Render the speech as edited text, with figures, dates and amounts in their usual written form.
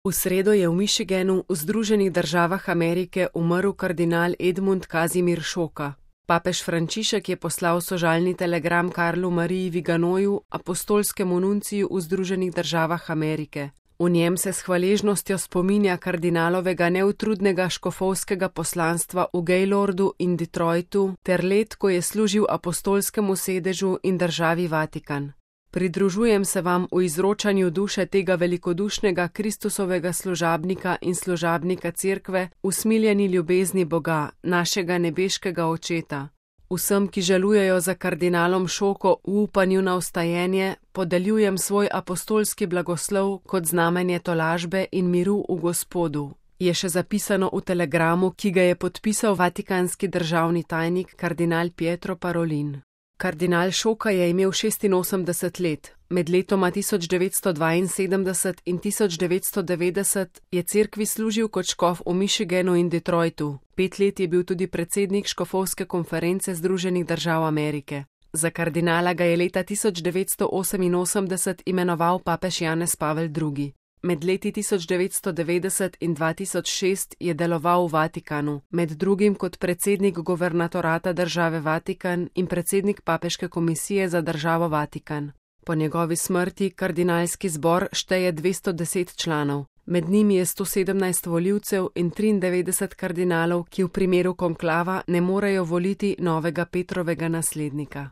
V sredo je v Michiganu v Združenih državah Amerike umrl kardinal Edmund Kazimir Šoka. Papež Frančišek je poslal sožalni telegram Karlu Mariji Viganoju, apostolskemu nunciju v Združenih državah Amerike. V njem se s hvaležnostjo spominja kardinalovega neutrudnega škofovskega poslanstva v Gaylordu in Detroitu ter let, ko je služil apostolskemu sedežu in državi Vatikan. Pridružujem se vam v izročanju duše tega velikodušnega Kristusovega služabnika in služabnika Cerkve, usmiljeni ljubezni Boga, našega nebeškega Očeta. Vsem, ki žalujejo za kardinalom Šoko v upanju na vstajenje, podeljujem svoj apostolski blagoslov kot znamenje tolažbe in miru v Gospodu. Je še zapisano v telegramu, ki ga je podpisal vatikanski državni tajnik kardinal Pietro Parolin. Kardinal Šoka je imel 86 let. Med letoma 1972 in 1990 je cerkvi služil kot škof v Michiganu in Detroitu. 5 let je bil tudi predsednik škofovske konference Združenih držav Amerike. Za kardinala ga je leta 1988 imenoval papež Janez Pavel II. Med leti 1990 in 2006 je deloval v Vatikanu, med drugim kot predsednik guvernatorata države Vatikan in predsednik papeške komisije za državo Vatikan. Po njegovi smrti kardinalski zbor šteje 210 članov, med njimi je 117 volivcev in 93 kardinalov, ki v primeru konklava ne morejo voliti novega Petrovega naslednika.